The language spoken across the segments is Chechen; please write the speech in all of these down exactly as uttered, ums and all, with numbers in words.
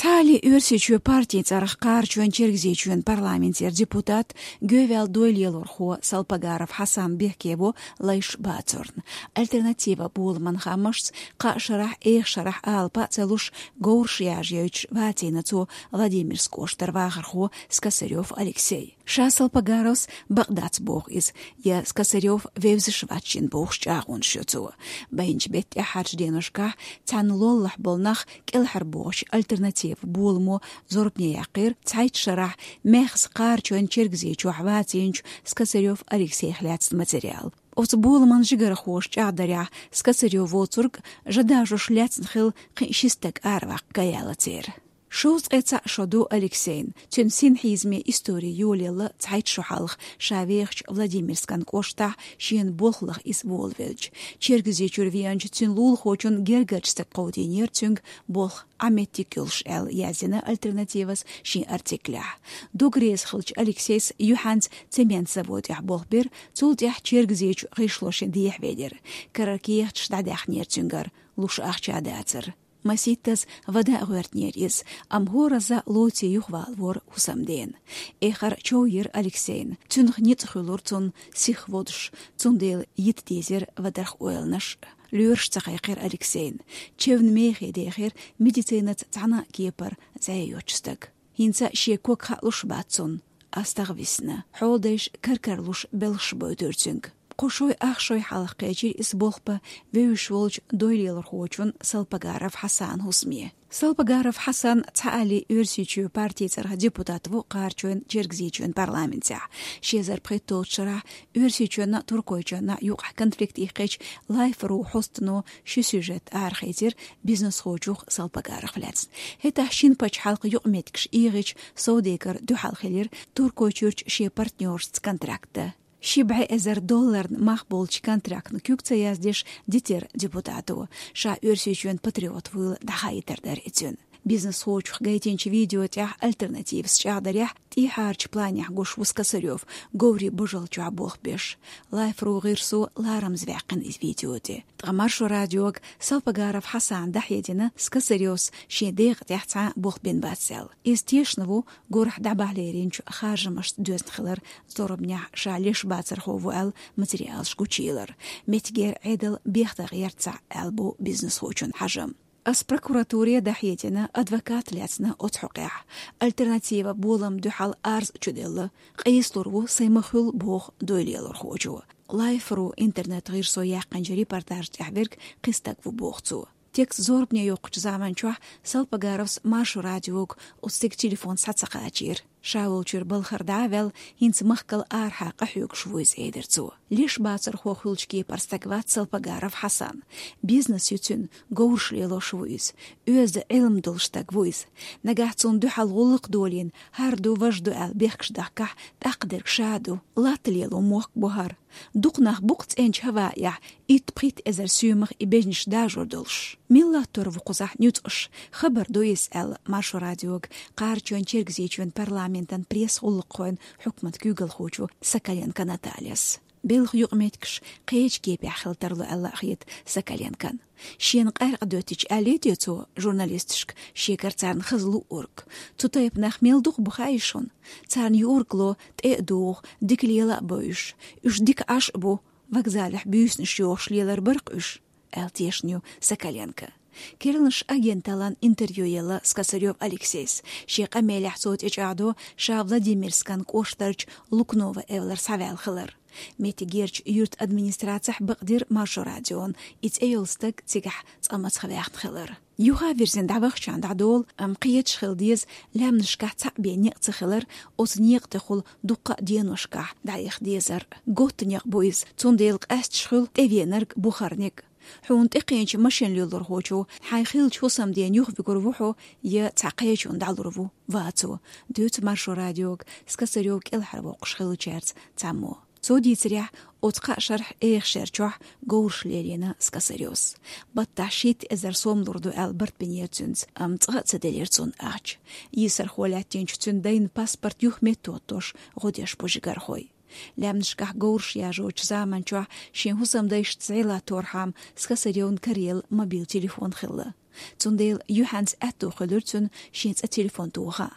Хьали Оьрсийчоь партий цӀарах Кхарачоь-Чергазийчоь парламентера депутат, гӀевал дойлелорхо Салпагаров Хьасан бехке во лайш бацарна. «Альтернатива» боламан хамашца кхаа шарахь, эха шарахь алапа а ца луш, говраш яжа йойтуш вацийна цо Владимирск кӀоштара вахархо Скосарёв Алексей. Ша Салпагаровс бакъ дац боху иза, я Скосарёв вевзаш вац шена бохуш чӀагӀонаш йо цо. Байначу беттан тӀаьххьарчу деношкахь цхьаьна лоллахь болу нах кӀелхьарбохучу «Альтернатива» боламо зорбане яьккхира цхьайтта шарахь маьхза Кхарачоь-Чергазийчохь вацийначу Скосарёв Алексейх лаьцна материал. Оцу боламан жигархоша чӀагӀдарехь, Скосарёв воцург жа дажош лаьцна хилла кхин ши стаг араваккха ган яьлла церан. Шовзткъе цхьаъ шо ду Алексейн. Цуьнан синхьизаме истори йолаелла цхьайтта шо хьалха, ша вехачу Владимирскан кӀоштахь шена болх лаха иза волавелча. Чергазийчуьра веанчу цуьнан лулахочун гергарчу стага кховдийнера цуьнга болх Ӏа меттиг йолуш, аьлла, яздина «Альтернативас» шен артиклехь. Дог реза хиллачу Алексейс юьхьанца цемент заводехь болх бира, цул тӀаьхьа Чергазийчу гӀишло шен дехьавелира. Карара кехаташ дӀадаьхнера цуьнгара, луш ахча дацара. Масийттаза вада а гӀоьртинера иза, амма хӀоразза лоций юхавалавора хӀусамдена. Эххар чов йира Алексейна. Цуьнах ницкъ хуьлура цунна сиха водуш, цундела йита дезира вадарх ойланаш. Лоьраш ца кхайкхира Алексейна. Чевнан мехе дехира, медицинаца цхьана а кепара зӀе йоцучу стага. ХӀинца шен ког хаалуш бац цунна. АстагӀа висна. Хьоладайша кар-кара луш белхаш бойтура цуьнга. Кхо шой, ах шой хьалха кхечира иза болх бан вевзаш волчу дойлелорхочун Салпагаров Хьасанан хӀусаме. Салпагаров Хьасан цхьаалле Оьрсийчоь партий цӀарах депутат ву Кхарачоь-Чергазийчоь парламентехь. Ши эзар пхийтталгӀачу шарахь Оьрсийчоьнна а, Туркойчоьнна а юкъахь конфликт иккхича, Life.ru хьостано ши сюжет арахецира бизнесхочух Салпагаровх лаьцна. ХӀетахь шина пачхьалкхан юкъаметтигаш эгӀича, совдегар дуьхьал хилира Туркойчуьрчу шен партнёршца контракт дан. Ши бӀе эзар долларна мах болчу контрактна куьг ца яздеш, дитира депутато. Ша Оьрсийчоьнан патриот вуйла дӀахаийтар дара и цуьнан. Бизнесхочух гайтинчу видео тӀехь «Альтернативас» чӀагӀдарехь, тӀехьарчу планехь гуш ву Скосарёв, говрийн божал чохь болх беш. Life.ru гӀирсо ларамза ваьккхина иза видео тӀе. Ткъа Маршо радиога Салпагаров Хьасана дӀахьедина Скосарёвс шен декъа тӀехь цхьа а болх бина бац аьлла. Иза тешна ву гурахь дӀабахьа леринчу харжамашца доьзна хилар, зорбанехь ша леш бацархо ву аьлла материалаш гучуйиллар. Меттигера Ӏедал бехдан гӀерта цхьаъ аьлла бу бизнесхочун хьажам. Ас прокуратуре дӀахьедина, адвокат лаьцна оцу хьокъехь. «Альтернатива» болам дуьхьал арз а чуделла, къийсалур ву сайн ма-хуьллу, боху дойлелорхочо. Life.ru интернет-гӀирсо яьккхинчу репортажа тӀехь верг кхин стаг ву, боху цо. Текст зорбане йоккхучу заманчохь Салпагаровс Маршо радиога оцу стеган телефон схьа ца кхачийра. Ша волчуьра балхара дӀа а ваьлла, хӀинца махкал арахьа къахьоьгуш ву иза, элира цо. Леш бацархо хуьлучу кепара стаг вац Салпагаров Хьасан. Бизнес ю цуьнан, говраш лелош ву иза. Оьзда Ӏилма долу стаг ву иза. Нагахь цунна дуьхьал гӀуллакх долийна, хӀара ду, важа ду аьлла бехкаш дахкахь, тӀаккха дерг ша ду. Латта лело мохк бу хӀара. Дукха нах бу-кх цӀеначу хӀаваэхь итт-пхийтта эзар соьмах и бежнаш дажор долуш. Мила латтор ву кхузахь нуьцкъаш, хабар ду иза, аьлла Маршо радиога Кхарачоь-Чергазийчоь парламентан пресс-гӀуллакххойн хьукматан куьйгалхочо Соколенко Натальяс. Белхан юкъаметтигаш кхечу кепехь хила тарло аьлла а хета Соколенкон. Шена къаьркъа доьттича аьллий те цо журналисташка, шегара царна хаза луъург? Цу тайпа нах мел дукха бу хаьий шуна? Царна юург ло тӀе а дугӀу, дика лела а бо уьш. Уьш дика Ӏаш а бу, вокзалехь буьйсанаш йохуш лелар бара-кх уьш, аьлла тешна ю Соколенко. Керланаш агенталлан интервью елла Скосарёв Алексейс. Шен къамелехь цо тӀечӀагӀдо ша Владимирскан кӀоштарчу Лукново эвлара схьаваьлла хилар. Меттигерчу юьртан администрацехь бакъдира Маршо радиона, и цӀе йолу стаг цигахь цкъа мацах ваьхна хилар. Юха а вирзина дӀавахчахьана дӀадолу, амма кхеташ хила деза, лаьмнашкахь цхьаъ бен некъ ца хилар, оцу некъа тӀехула дуккха а деношкахь дӀаэха дезар. Готта некъ бу иза, цундела къаьсташ хуьлу тӀевенарг, бухарниг. Хьуна тӀекхечу машина лелорхочо хьайн хиллачу хӀусамдена юхавуьгур ву хьо, я цхьа кхечунна дӀалур ву, вацо, дуьйцу Маршо радиога Скосарёв кӀелхьарвоккхуш хиллачаьрца цхьаммо. Цо дийцарехь, оцу кхаа шарахь эха шер чохь говраш лелийна Скосарёвс. Баттахь шийтта эзар сом лур ду аьлла барт бинера цуьнца, амма цкъа а ца делира цунна ахча. Йийсархо лаьттинчу цуьнан дайна паспорт юхаметтахӀоттош гӀо деш бу жигархой. Лаьмнашкахь говраш яжочу заманчохь шен хӀусамдайшца зӀе латторхьама Скосарёвна караелла мобил телефон хилла. Цундела юьхьанца аьттув хуьлура цуьнан шен цӀа телефон тоха.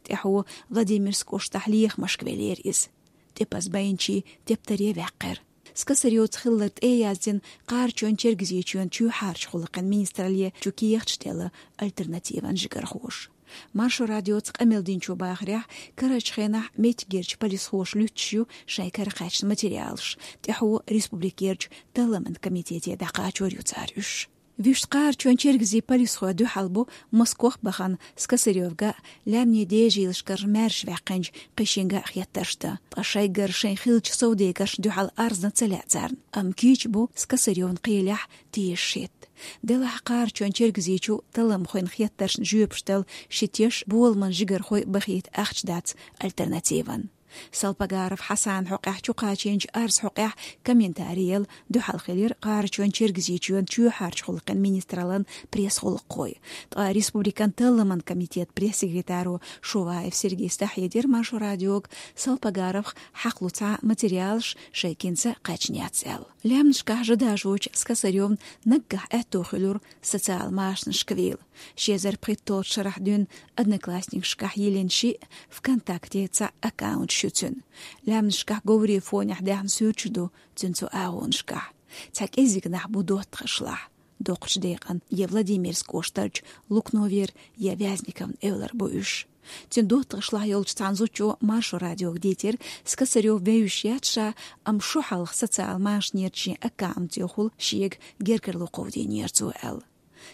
ТӀаьхьо Владимирск кӀоштахь лехамашка веллера иза. ТӀепаза байначийн тептаре ваьккхира. Скосарёвца хиллар тӀеяздина Кхарачойн-Чергазийчоьнан чоьхьарчу гӀуллакхийн министралле чу кехаташ делла альтернативан жигархоша. Маршо радиоца къамел динчо бахарехь, карарчу хенахь меттигерчу полисхоша луьттуш ю шайн каракхаьчна материалаш, тӀаьхьо республикерчу талламан комитете дӀакхачор ю цара уьш. Вуьшта Кхарачойн-Чергазийн полисхой дуьхьал бу Москох бахана Скосарёвга, лаьмнийн дежийлашкара маьрша ваьккхинчу кхин шинга а хеттарш дан. Ткъа шайгара шайн хиллачу совдегаршна дуьхьал арзна ца лаьа царна. Амма кийча бу Скосарёвн кхелехь тешаш хӀитта. Делахь Кхарачойн-Чергазийчу талламхойн хеттаршна жоьпаш дала ши теш боламан жигархой бахийта ахча дац альтернативан. Салпагаров Хьасанан хьокъехь чукхачийначу арзан хьокъехь комментари яла дуьхьал хилира Кхарачойн-Чергазийчоьнан чоьхьарчу гӀуллакхийн министраллан пресс-гӀуллакххой. Ткъа республикан талламан комитетан пресс-секретаро Шуваев Сергейс дӀахьедира Маршо радиога, Салпагаровх хьакхалуш цхьа материалаш шайгинца кхаьчна яц аьлла. Лаьмнашкахь жа дажочу Скосарёвна наггахь аьттув хуьлура социал машанашка вийла. Ши эзар пхийтталгӀачу шарахь дуьйна Одноклассникашкахь йиллина шиъ, ВКонтакте цхьаъ аккаунташ ю цуьнан. Лаьмнашкахь говре фонехь даьхна суьрташ ду цуьнан цу агӀонашкахь. Цхьа кӀеззиг нах бу доттагӀашлахь. Доккхачу декъана я Владимирск кӀоштарчу Лукновера, я Вязниковн эвлара бу уьш. Цуьнан доттагӀашлахь йолчу цхьана зудчо Маршо радиога дийцира, Скосарёв вевзаш яц ша, амма шо хьалха социал машанерчу шен аккаунтехула шега гергарло кховдийнера цо аьлла.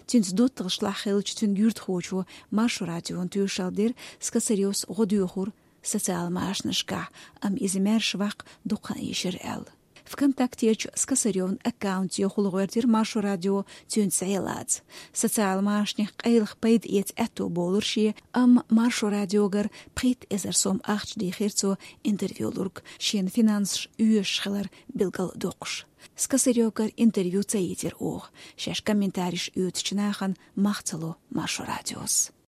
Цуьнца доттагӀашлахь хиллачу цуьнан юьртахочо Маршо радиона тоьшалла дира, Скосарёвс гӀо доьхура социал машанашкахь, амма иза маьрша ваккха дукха хан йиш яра аьлла. ВКонтактерчу Скосарёвн аккаунтехула гӀоьртира Маршо радио цуьнца зӀе лаца. Социал машанех къайлаха пайда эца аьтту болура шен, амма Маршо радиогара пхийтта эзар сом ахча дийхира цо интервью лург, шена финансаш оьшуш хилар билгал доккхуш. Скосарёвгара интервью ца йийцира оха, шаьш комментареш оьцучу нахана мах ца ло Маршо радиос.